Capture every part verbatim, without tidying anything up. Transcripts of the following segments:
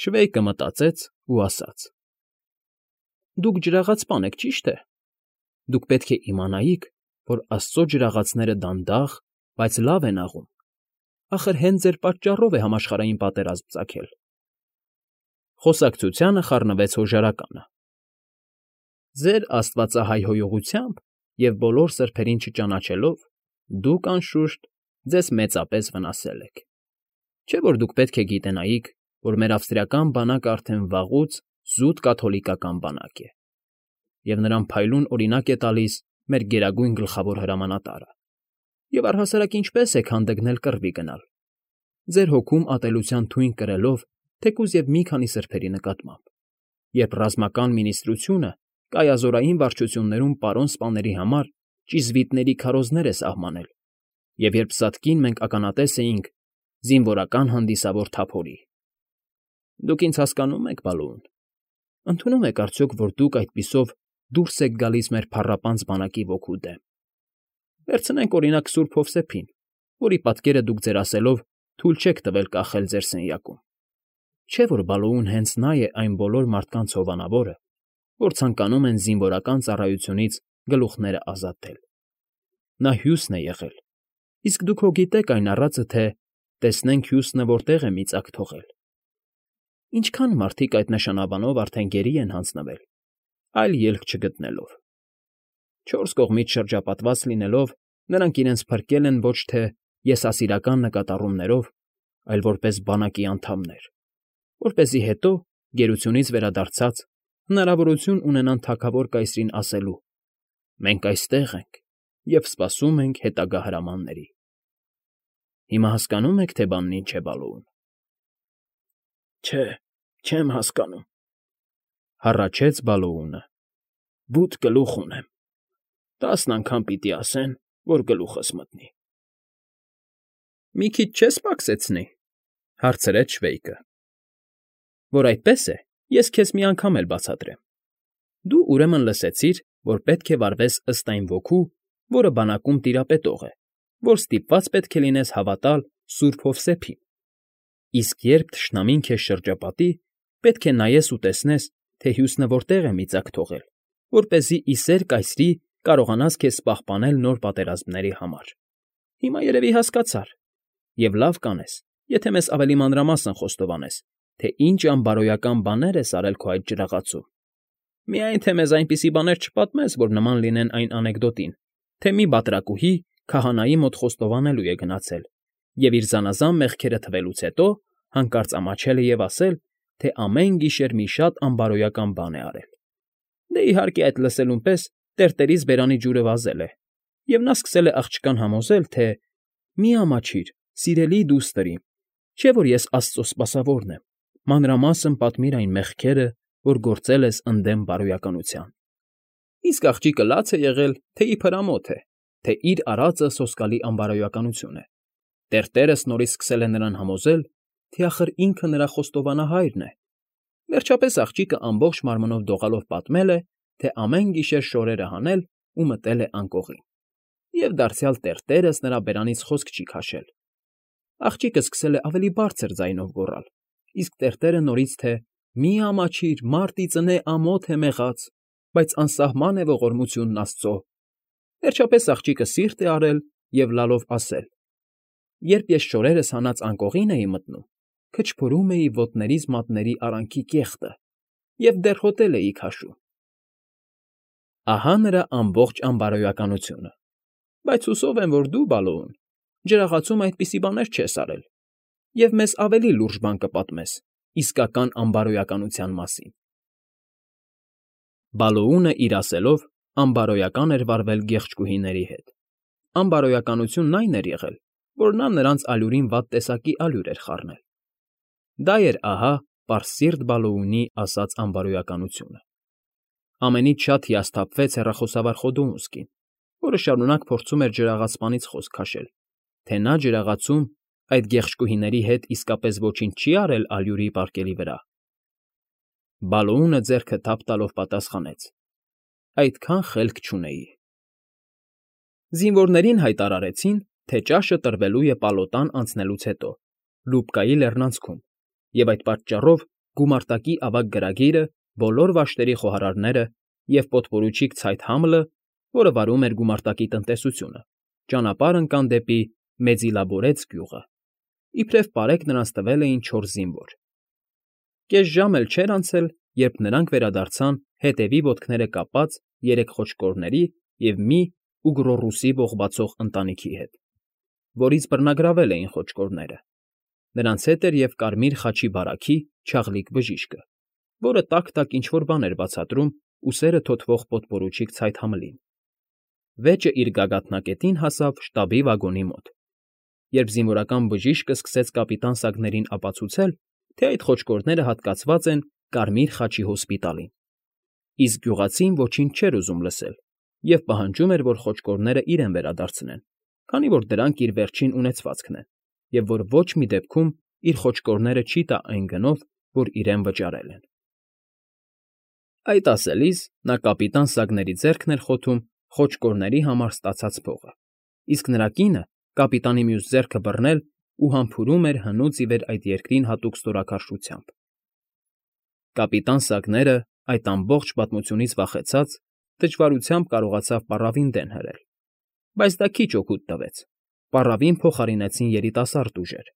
Շվեյկը մտածեց ու ասաց. «Դուք ջրաղացպան եք, ճի՞շտ է։ Դուք պետք է իմանայիք, որ աստծո ջրաղացները դանդաղ, բայց լավ են աղում. ախր հենց ձեր պատճառով է համաշխարհային պատերազմ ծագել»։ Խոսակցությանը խառնվեց հոժարականը. «Ձեր աստվածահայհոյողությամբ և բոլոր սրբերին չճանաչելով, դուք, անշուշտ, ձեզ մեծապես վնասել եք։ Չէ՞ որ դուք պետք է գիտենայիք, որ մեր ավստրիական բանակը արդեն վաղուց զուտ կաթոլիկական բանակ է, և նրան փայլուն օրինակ է տալիս մեր գերագույն գլխավոր հրամանատարը, և առհասարակ ինչպե՞ս եք հանդգնել կռվի գնալ, ձեր հոգում ատելության թույն կրելով թեկուզ և մի քանի սրբերի նկատմամբ, երբ ռազմական մինիստրությունը կայազորային վարչություններում պարոն սպաների համար ճիզվիտների քարոզներ է սահմանել, և երբ սատկին մենք ականատես էինք զինվորական հանդիսավոր թափորի։ Դուք ինձ հասկանո՞ւմ եք, Բալոուն. ընդունում եք արդյոք, որ դուք այդպիսով դուրս եք գալիս մեր փառապանծ բանակի ոգու դեմ։ Վերցնենք, օրինակ, սուրբ Հովսեփին, որի պատկերը դուք ձեր ասելով թույլ չեք տվել կախել ձեր սենյակում։ Չէ՞ որ Բալոուն հենց նա է այն բոլոր մարդկանց հովանավորը, որ ցանկանում են զինվորական ծառայությունից գլուխները ազատել։ Նա հյուսն է եղել, իսկ դուք հո գիտեք այն առածը, թե տեսնենք հյուսնը որտեղ է միծակ թողել։ Ինչքան մարդիկ այդ նշանաբանով արդեն գերի են հանձնվել, այլ ելք չգտնելով։ Չորս կողմից շրջապատված լինելով, նրանք իրենց փրկել են ոչ թե եսասիրական նկատառումներով, այլ որպես բանակի անդամներ, որպեսզի հետո, գերությունից վերադարձած, հնարավորություն ունենան թագավոր կայսրին ասելու. «Մենք այստեղ ենք և սպասում ենք հետագա հրամանների»։ Հիմա հասկանո՞ւմ եք, թե բանն ինչ է, Բալոուն։ Չէ, չեմ հասկանում,֊ հառաչեց Բալոունը։ Բութ գլուխ ունեմ, տասն անգամ պիտի ասեն, որ գլուխս մտնի։ Մի քիչ չես պակսեցնի,֊ հարցրեց Շվեյկը։ Որ այդպես է, ես քեզ մի անգամ էլ բացատրեմ։ Դու, ուրեմն, լսեցիր, որ պետք է վարվես ըստ այն ոգու, որը բանակում տիրապետող է, որ ստիպված պետք է լինես հավատալ սուրբ Հովսեփին, իսկ երբ թշնամին քեզ շրջապատի, պետք է նայես ու տեսնես, թե հյուսնը որտեղ է միծակ թողել, որպեսզի ի սեր կայսրի կարողանաս քեզ պահպանել նոր պատերազմների համար։ Հիմա երևի հասկացար, և լավ կանես, եթե մեզ ավելի մանրամասն խոստովանես, թե ինչ անբարոյական բաներ ես արել քո այդ ջրաղացում։ Միայն թե մեզ այնպիսի բաներ չպատմես, որ նման լինեն այն անեկդոտին, թե մի բատրակուհի քահանայի մոտ խոստովանելու է գնացել և իր զանազան մեղքերը թվելուց հետո հանկարծ ամաչել է և ասել, թե ամեն գիշեր մի շատ անբարոյական բան է արել։ Դե, իհարկե, այդ լսելուն պես տերտերից բերանի ջուրը վազել է, և նա սկսել է աղջկան համոզել, թե «Մի ամաչիր, սիրելի դուստր իմ, չէ՞ որ ես աստծո սպասավորն եմ, մանրամասն պատմիր այն մեղքերը, որ գործել ես ընդդեմ բարոյականության»։ Իսկ աղջիկը լաց է եղել, թե իբր ամոթ է, թե իր արածը սոսկալի անբարոյականություն է։ Տերտերս նորից սկսել է նրան համոզել, թե ախր ինքը նրա խոստովանահայրն է։ Վերջապես աղջիկը ամբողջ մարմնով դողալով պատմել է, թե ամեն գիշեր շորերը հանել ու մտել է անկողին, և դարձյալ տերտերս նրա բերանից խոսք չի քաշել։ Աղջիկը սկսել է ավելի բարձր ձայնով գոռալ, իսկ տերտերը նորից, թե «Մի ամաչիր, մարդ ի ծնե ամոթ է մեղած, բայց անսահման է ողորմությունն Աստծո»։ Վերջապես աղջիկը սիրտ է արել և լալով ասել. «Երբ ես շորերս հանած անկողին էի մտնում, քչփորում էի ոտներիս մատների արանքի կեղտը և դեռ հոտել էի քաշում»։ Ահա նրա ամբողջ անբարոյականությունը, բայց հուսով եմ, որ դու, Բալոուն, ջրաղացում այդպիսի բաներ չես արել և մեզ ավելի լուրջ բան կպատմես իսկական անբարոյականության մասին։ Բալոունը, իր ասելով, անբարոյական էր վարվել գեղեցկուհիների հետ։ Անբարոյականությունն այն էր եղել, որ նա նրանց ալյուրին վատ տեսակի ալյուր էր խառնել։ Դա էր, ահա, պարսիրտ Բալոունի ասած անբարոյականությունը։ Ամենից շատ հիասթափվեց հեռախոսավար Խոդոունսկին, որը շարունակ փորձում էր ջրաղացպանից խոսք քաշել, թե նա ջրաղացում այդ գեղեցկուհիների հետ իսկապես ոչինչ չի արել ալյուրի պարկերի վրա։ Բալոունը ձեռքը թափ տալով պատասխանեց. «Այդքան խելք չունեի»։ Զինվորներին հայտարարեցին, թե ճաշը տրվելու է պալոտան անցնելուց հետո, Լուբկայի լեռնանցքում, և այդ պատճառով գումարտակի ավագ գրագիրը, բոլոր վաշտերի խոհարարները և պոդպորուչիկ Ցայթ-Համլը, որը վարում էր գումարտակի տնտեսությունը, ճանապարհ ընկան դեպի Մեծիլաբորեց գյուղը. իբրև պարեգ նրանց տվել էին չորս զինվոր։ Կես ժամ էլ չէր անցել, երբ նրանք վերադարձան հետևի ոտքերը կապած երեք խոչկորների և մի Ուգռոռուսի ողբացող ընտանիքի հետ, որից բռնագրավել էին խոչկորները։ Նրանց հետ էր և կարմիր խաչի բարագի չաղլիկ բժիշկը, որը տաք֊տաք ինչ֊որ բան էր բացատրում ուսերը թոթվող պոդպորուչիկ Ցայթ-Համլին։ Վեճը իր գագաթնակետին հասավ շտաբի վագոնի մոտ, երբ զինվորական բժիշկը սկսեց կապիտան Սագներին ապացուցել, թե այդ խոչկորները հատկացված են Կարմիր խաչի հոսպիտալին, իսկ գյուղացին ոչինչ չէր ուզում լսել և պահանջում էր, որ խոչկորները իրեն վերադարձնեն, քանի որ դրանք իր վերջին ունեցվածքն են, և որ ոչ մի դեպքում իր խոչկորները չի տա այն գնով, որ իրեն վճարել են։ Այդ ասելիս նա կապիտան Սագների ձեռքն էր խոթում խոչկորների համար ստացած փողը, իսկ նրա կինը կապիտանի մյուս ձեռքը բռնել ու համբուրում էր հնուց ի վեր այդ երկրին հատուկ ստորաքարշությամբ։ Կապիտան Սագները, այդ ամբողջ պատմությունից վախեցած, դժվարությամբ կարողացավ պառավին դեն հրել, բայց դա քիչ օգուտ տվեց. պառավին փոխարինեցին երիտասարդ ուժեր,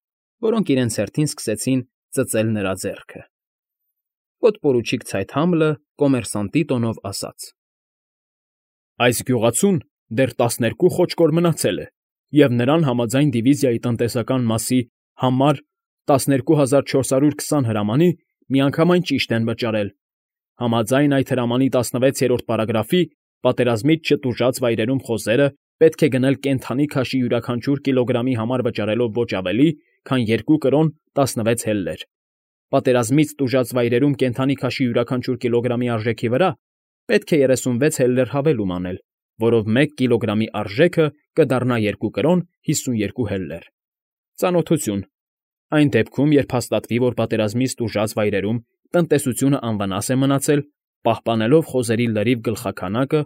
որոնք իրենց հերթին սկսեցին ծծել նրա ձեռքը։ Պոդպորուչիկ Ցայթ-Համլը կոմերսանտի տոնով ասաց. Այս գյուղացուն դեռ տասներկու խոչկոր մնացել է, և նրան համաձայն դիվիզիայի տնտեսական մասի համար տասներկու հազար չորս հարյուր քսան հրամանի միանգամայն ճիշտ են վճարել։ Համաձայն այդ հրամանի տասնվեցերորդ պարագրաֆի պատերազմից չտուժած վայրերում խոզերը պետք է գնել կենդանի քաշի յուրաքանչյուր կիլոգրամի համար վճարելով ոչ ավելի, քան երկու կրոն տասնվեց հելլեր։ Պատերազմից տուժած վայրերում կենդանի քաշի յուրաքանչյուր կիլոգրամի արժեքի վրա պետք է երեսունվեց հելլեր հավելում անել, որով մեկ կիլոգրամի արժեքը կդառնա երկու կրոն հիսունյերկու հելլեր։ Ծանոթություն։ Այն դեպքում, երբ հաստատվի, որ պատերազմից տուժած վայրերում տնտեսությունը անվնաս է մնացել, պահպանելով խոզերի լրիվ գլխաքանակը,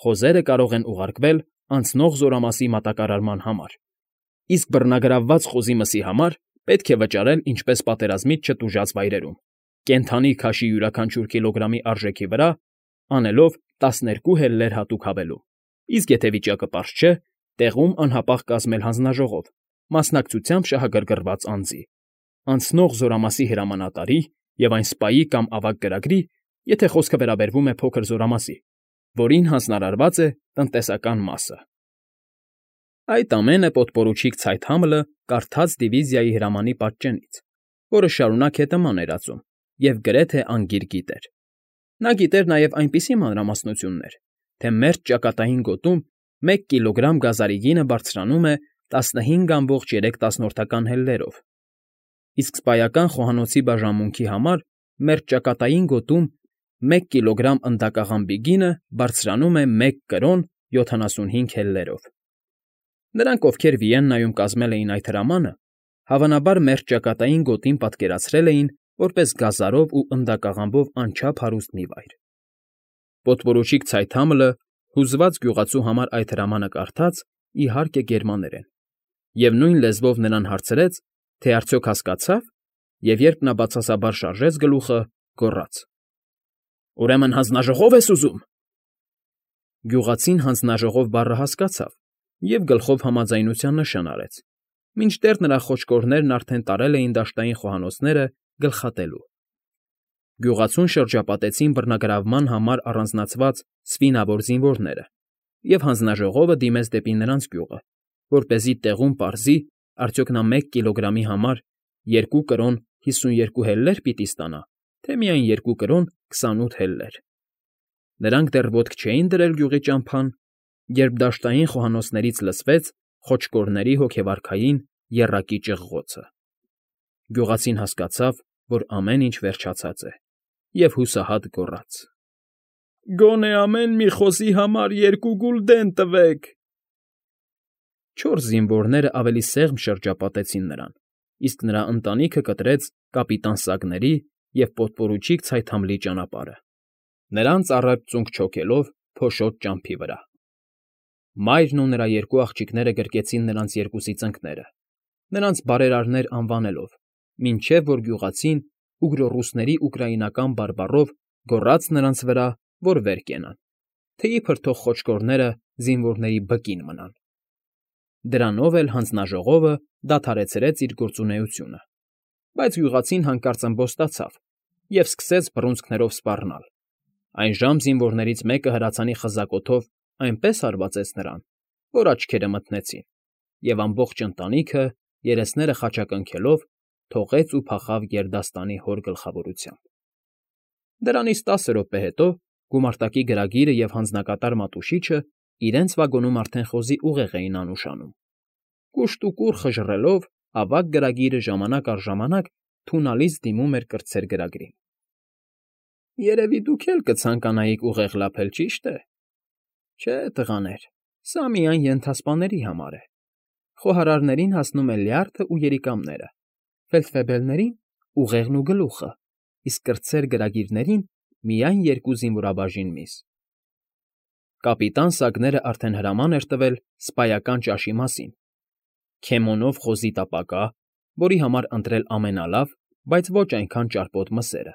խոզերը կարող են ուղարկվել անցնող զորամասի մատակարարման համար, իսկ բռնագրավված խոզի մսի համար պետք է վճարել ինչպես պատերազմից չտուժած վայրերում, կենդանի քաշի յուրաքանչյուր կիլոգրամի արժեքի վրա, անելով տասներկու հելլեր հատուկ հավելում, իսկ եթե վիճակը պարզ չէ, տեղում անհապաղ կազմել հանձնաժողով, մասնակցությամբ շահագրգռված անձի, անցնող զորամասի հրամանատարի և այն սպայի կամ ավագ գրագրի, եթե խոսքը վերաբերվում է փոքր զորամասի, որին հանձնարարված է տնտեսական մասը։ Այդ ամենը պոդպորուչիկ Ցայթ-Համլը կարդաց դիվիզիայի հրամանի պատճենից, որը շարունակ հետևման էր ածում և գրեթե անգիր գիտեր։ Նա գիտեր նաև այնպիսի մանրամասնություններ, թե մերճ ճակատային գոտում մեկ կիլոգրամ գազարի գինը բարձրանում է տասնհինգ ամբողջ երեք հելլերով, իսկ սպայական խոհանոցի բաժանմունքի համար մերճ ճակատային գոտում մեկ կիլոգրամ ընդակաղամբի գինը բարձրանում է մեկ կրոն յոթանասունհինգ հելլերով։ Նրանք, ովքեր Վիեննայում կազմել էին այդ հրամանը, հավանաբար մերճ ճակատային գոտին պատկերացրել էին որպես գազարով ու ընդակաղամբով անչափ հարուստ մի վայր։ Պոդպորուչիկ Ցայթ-Համլը հուզված գյուղացու համար այդ հրամանը կարդաց, իհարկե, գերմաներեն, և նույն լեզվով նրան հարցրեց, թե արդյոք հասկացա՞վ, և երբ նա բացասաբար շարժեց գլուխը, գոռաց. Ուրեմն հանձնաժողո՞վ ես ուզում։ Գյուղացին հանձնաժողով բառը հասկացավ և գլխով համաձայնության նշան արեց, մինչդեռ նրա խոչկորներն արդեն տարել էին դաշտային խոհանոցները գլխատելու։ Գյուղացուն շրջապատեցին բռնագրավման համար առանձնացված սպինավոր զինվորները, և հանձնաժողովը դիմեց դեպի նրանց գյուղը, որպեսզի տեղում պարզի, արդյոք նա մեկ կիլոգրամի համար երկու կրոն հիսունյերկու հելլեր պիտի ստանա, թե միայն երկու կրոն քսանութ հելլեր։ Նրանք դեռ ոտք չէին դրել գյուղի ճամփան, երբ դաշտային խոհանոցներից լսվեց խոչկորների հոգեվարքային եռակի ճղղոցը։ Գյուղացին հասկացավ, որ ամեն ինչ վերջացած է, և հուսահատ գոռաց. Գոնե ամեն մի խոզի համար երկու գուլդեն տվեք։ Չորս զինվորները ավելի սեղմ շրջապատեցին նրան, իսկ նրա ընտանիքը կտրեց կապիտան Սագների և պոդպորուչիկ Ցայթ-Համլի ճանապարհը, նրանց առատ ծունկ չոքելով փոշոտ ճամփի վրա։ Մայրն ու նրա երկու աղջիկները գրկեցին նրանց երկուսի ծնկները, նրանց բարերարներ անվանելով, մինչև որ գյուղացին ուգրոռուսների ուկրաինական բարբառով գոռաց նրանց վրա, որ վեր կենան, թեյի փրթող խոչկորները զինվորների բկին մնան։ Դրանով էլ հանձնաժողովը դադարեցրեց իր գործունեությունը, բայց գյուղացին հանկարծ ըմբոստացավ և սկսեց բռունցքներով սպառնալ։ Այնժամ զինվորներից մեկը հրացանի խզակոթով այնպես հարվածեց նրան, որ աչքերը մթնեցին, և ամբողջ ընտանիքը, երեսները խաչակնքելով, թողեց ու փախավ գերդաստանի հոր գլխավորությամբ։ Դրանից տասը րոպե հետո գումարտակի գրագիրը և հանձնակատար Մատուշիչը իրենց վագոնում արդեն խոզի ուղեղ էին անուշանում։ Կուշտ ու կուռ խժռելով, ավագ գրագիրը ժամանակ առ ժամանակ թունալից դիմում էր կրտսեր գրագրին։ ֊ Երևի դուք էլ կցանկանայիք ուղեղ լափել, ճի՞շտ է։ ֊ Չէ, տղաներ, սա միայն ենթասպաների համար է. խոհարարներին հասնում է լյարդը ու երիկամները, ֆելդֆեբելներին՝ ուղեղն ու գլուխը, իսկ կրտսեր գրագիրներին՝ միայն երկու զինվորաբաժին միս։ Կապիտան Սագները արդեն հրաման էր տվել սպայական ճաշի մասին՝ քեմոնով խոզի տապակա, որի համար ընտրել ամենալավ, բայց ոչ այնքան ճարպոտ մսերը։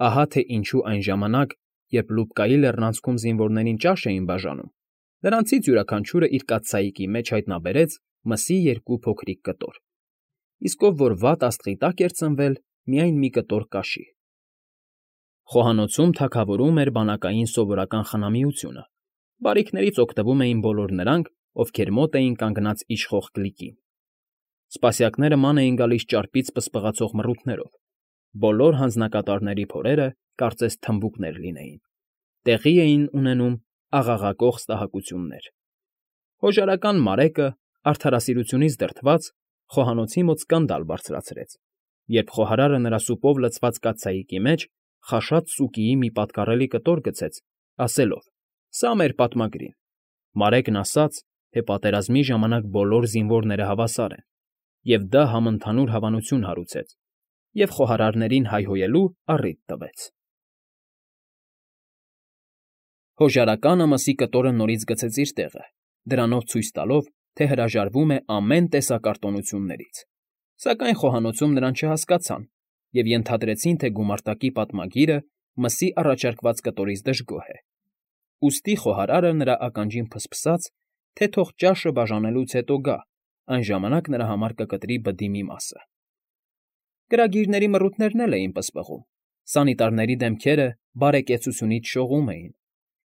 Ահա թե ինչու այն ժամանակ, երբ Լուբկայի լեռնանցքում զինվորներին ճաշ էին բաժանում, նրանցից յուրաքանչյուրը իր կաթսայիկի մեջ հայտնաբերեց մսի երկու փոքրիկ կտոր, իսկ ով որ վատ աստղի տակ էր ծնվել, միայն մի կտոր կաշի։ Խոհանոցում թագավորում էր բանակային սովորական խնամիությունը, բարիքներից օգտվում էին բոլոր նրանք, ովքեր մոտ էին կանգնած իշխող կլիկին։ Սպասյակները ման էին գալիս ճարպից պսպղացող մռութներով, բոլոր հանձնակատարների փորերը կարծես թմբուկներ լինեին, տեղի էին ունենում աղաղակող ստահակություններ։ Հոժարական Մարեկը, արդարասիրությունից դրդված, խոհանոցի մոտ սկանդալ բարձրացրեց, երբ խոհարարը նրա սուպով լցված կաթսայիկի մեջ խաշած սուկիի մի պատկառելի կտոր գցեց, ասելով. «Սա մեր պատմագրին»։ Մարեկն ասաց, թե պատերազմի ժամանակ բոլոր զինվորները հավասար են, և դա համընդհանուր հավանություն հարուցեց, և խոհարարներին հայհոյելու առիթ տվեց։ Հոժարականը մսի կտորը նորից գցեց իր տեղը, դրանով ցույց տալով, թե հրաժարվում է ամեն տեսակ արտոնություններից, սակայն խոհանոցում նրան չհասկացան և ենթադրեցին, թե գումարտակի պատմագիրը մսի առաջարկված կտորից դժգոհ է։ Ուստի խոհարարը նրա ականջին ֆսֆսաց, թե թող ճաշը բաժանելուց հետո գա, այն ժամանակ նրա համար կկտրի բդի մի մասը։ Գրագիրների մռութներն էլ էին պսպղում, սանիտարների դեմքերը բարեկեցությունից շողում էին,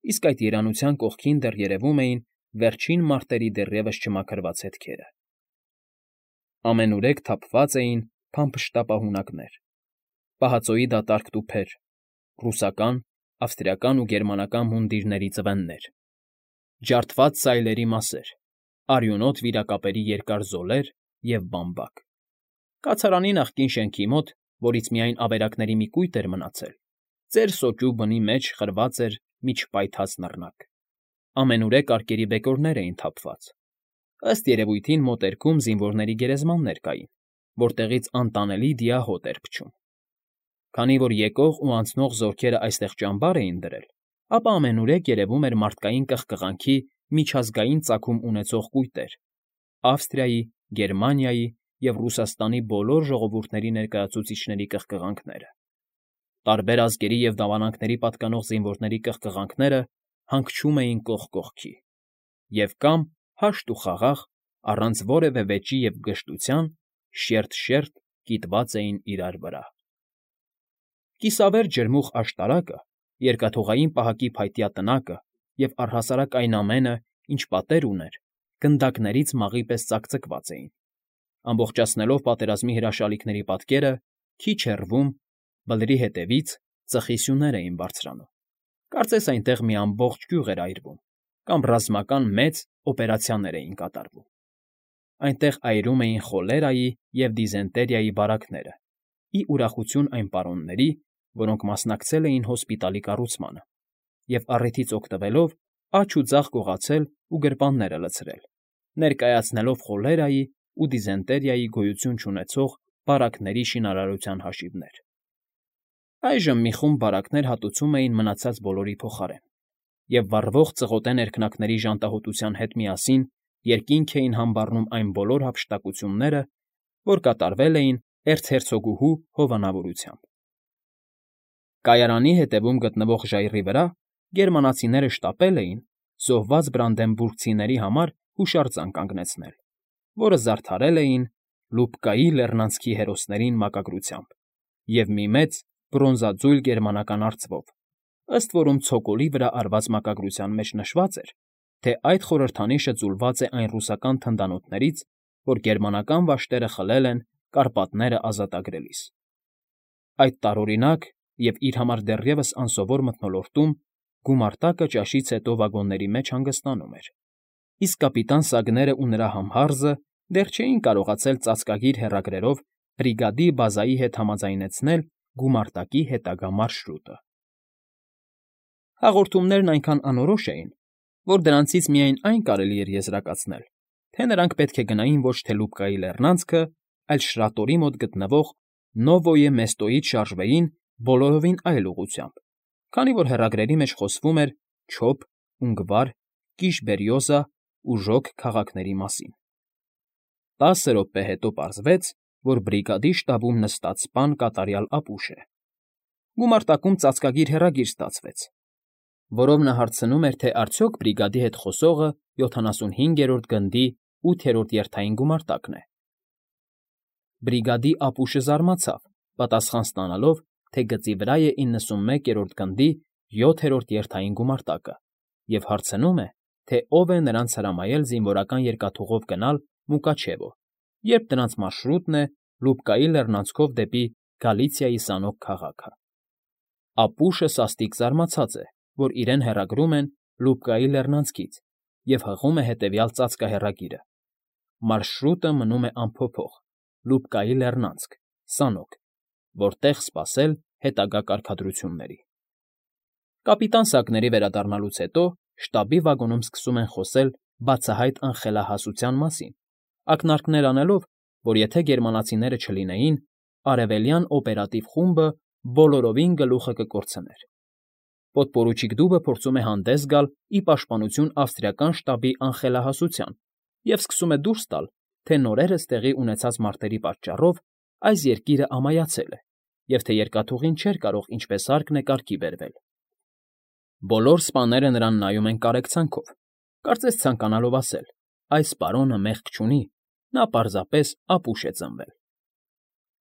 իսկ այդ երանության կողքին դեռ երևում էին վերջին մարտերի դեռևս չմաքրված հետքերը։ Ամենուրեք թափված էին փամփշտապահունակներ, պահածոյի դատարկ տուփեր, ռուսական, ավստրիական ու գերմանական մունդիրների ծվեններ, ջարդված սայլերի մասեր, արյունոտ վիրակապերի երկար զոլեր և բամբակ։ Կացարանի նախկին շենքի մոտ, որից միայն ավերակների մի կույտ էր մնացել, ծեր սոճու բնի մեջ խրված էր մի չպայթած նռնակ։ Ամենուրեք արկերի բեկորներ էին թափված։ Ըստ երևույթին մոտերքում զինվորների գերեզմաններ կային, որտեղից անտանելի դիահոտ էր փչում։ Քանի որ եկող ու անցնող զորքերը այստեղ ճամբար էին դրել, ապա ամենուրեք երևում էր մարդկային կղկղանքի միջազգային ծագում ունեցող կույտեր՝ Ավստրիայի, Գերմանիայի և Ռուսաստանի բոլոր ժողովուրդների ներկայացուցիչների կղկղանքները։ Տարբեր ազգերի և դավանանքների պատկանող զինվորների կղկղանքները հանգչում էին կողք կողքի, և կամ հաշտ ու խաղաղ, առանց որևէ վեճի և վգժտության, շերտ֊շերտ կիտված էին իրար վրա։ Կիսավեր ջրմուղ աշտարակը, երկաթուղային պահակի փայտյա տնակը և առհասարակ այն ամենը, ինչ պատեր ուներ, գնդակներից մաղի պես ծակծկված էին, ամբողջացնելով պատերազմի հրաշալիքների պատկերը, քիչ հեռվում, բլրի հետևից, ծխի սյուներ էին բարձրանում, կարծես այնտեղ մի ամբողջ գյուղ էր այրվում, կամ ռազմական մեծ օպերացիաներ էին կատարվում։ Այնտեղ այրում էին խոլերայի և դիզենտերիայի բարակները, ի ուրախություն այն պարոնների, որոնք մասնակցել էին հոսպիտալի կառուցմանը, և առիթից օգտվելով աջ ու ձախ գողացել ու գրպանները լցրել, ներկայացնելով խոլերայի ու դիզենտերիայի գոյություն չունեցող բարակների շինարարության հաշիվներ։ Այժմ մի խումբ բարակներ հատուցում էին մնացած բոլորի փոխարեն, և վառվող ծղոտե ներքնակների ժանտահոտության հետ միասին երկինք էին համբարում այն բոլոր հափշտակությունները, որ կատարվել էին էրցհերցոգուհու հովանավորությամբ։ Կայարանի հետևում գտնվող ժայռի վրա գերմանացիները շտապել էին զոհված բրանդենբուրգցիների համար հուշարձան կանգնեցնել, որը զարդարել էին Լուբկայի լեռնանցքի հերոսներին մակագրությամբ և մի մեծ բրոնզաձույլ գերմանական արծվով, ըստ որում ցոկոլի վրա արված մակագրության մեջ նշված էր, թե այդ խորհրդանիշը ձուլված է այն ռուսական թնդանոթներից, որ գերմանական վաշտերը խլել են Կարպատները ազատագրելիս։ Այդ տարօրինակ և իր համար դեռևս անսովոր մթնոլորտում գումարտակը ճաշից հետո վագոնների մեջ հանգստանում էր, իսկ կապիտան Սագներն ու նրա համհարձը դեռ չէին կարողացել ծածկագիր հեռագրերով բրիգադի բազայի հետ համաձայնեցնել գումարտակի հետագա մարշրուտը։ Հաղորդումներն այնքան անորոշ էին, որ դրանցից միայն այն կարելի էր եզրակացնել, թե նրանք պետք է գնային ոչ թե Լուբկայի լեռնանցքը, այլ Շրատորի մոտ գտնվող Նովոյե Մեստոյից շարժվեին բոլորովին այլ ուղղությամբ, քանի որ հեռագրերի մեջ խոսվում էր Չոբ, Ունգվար, Կիշ֊Բերիոզա ու Ժոկ քաղաքների մասին։ Տասը րոպե հետո պարզվեց, որ բրիգադի շտաբում նստած սպան կատարյալ ապուշ է։ Գումարտակում ծածկագիր հեռագիր ստացվեց, որով նա հարցնում էր, թե արդյոք բրիգադի հետ խոսողը յոթանասունհինգերորդ գնդի ութերորդ երթային գումարտակն է։ Բրիգադի ապուշը զարմացավ, պատասխան ստանալով, թե գծի վրա է իննսունմեկերորդ գնդի յոթերորդ երթային գումարտակը, և հարցնում է, թե ով է նրանց հրամայել զինվորական երկաթուղով գնալ Մուկաչևո, երբ դրանց մարշրուտն է Լուբկայի լեռնանցքով դեպի Գալիցիայի սանոք քաղաքը։ Ապուշը սաստիկ զարմացած է, որ իրեն հեռագրում են Լուբկայի լեռնանցքից և հղում է հետևյալ ծածկահեռագիրը. «Մարշրուտը մնում է անփոփոխ. Լուբկայի լեռնանցք, սանոք, որտեղ սպասել հետագա կարգադրությունների»։ Կապիտան Սակների վերադառնալուց հետո շտաբի վագոնում սկսում են խոսել բացահայտ անխելահասության մասին, ակնարկներ անելով, որ եթե գերմանացիները չլինեին, արևելյան օպերատիվ խումբը բոլորովին գլուխը կկորցներ։ Պոդպորուչիկ Դուբը փորձում է հանդես գալ ի պաշտպանություն ավստրիական շտաբի անխելահասության և սկսում է դուրս տալ, թե նորերս տեղի ունեցած մարտերի պատճառով այս երկիրը ամայացել է և թե երկաթուղին չէր կարող ինչպես հարկն է կարգի բերվել։ Բոլոր սպաները նրան նայում են կարեկցանքով, կարծես ցանկանալով ասել. այս պարոնը մեղք չունի, նա պարզապես ապուշ է ծնվել։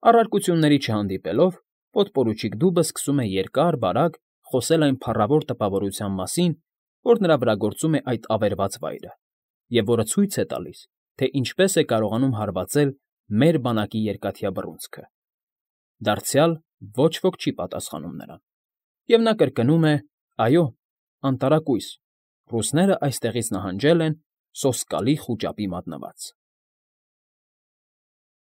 Առարկությունների չհանդիպելով, պոդպորուչիկ Դուբը սկսում է երկար֊բարակ խոսել այն փառավոր տպավորության մասին, որ նրա վրա գործում է այդ ավերված վայրը, և որը ցույց է տալիս, թե ինչպես է կարողանում հարվածել մեր բանակի երկաթյա բռունցքը։ Դարձյալ ոչ ոք չի պատասխանում նրան, և նա կրկնում է. «Այո, անտարակույս, ռուսներն այստեղից նահանջել են Սոսկալի խուճապի մատնված»։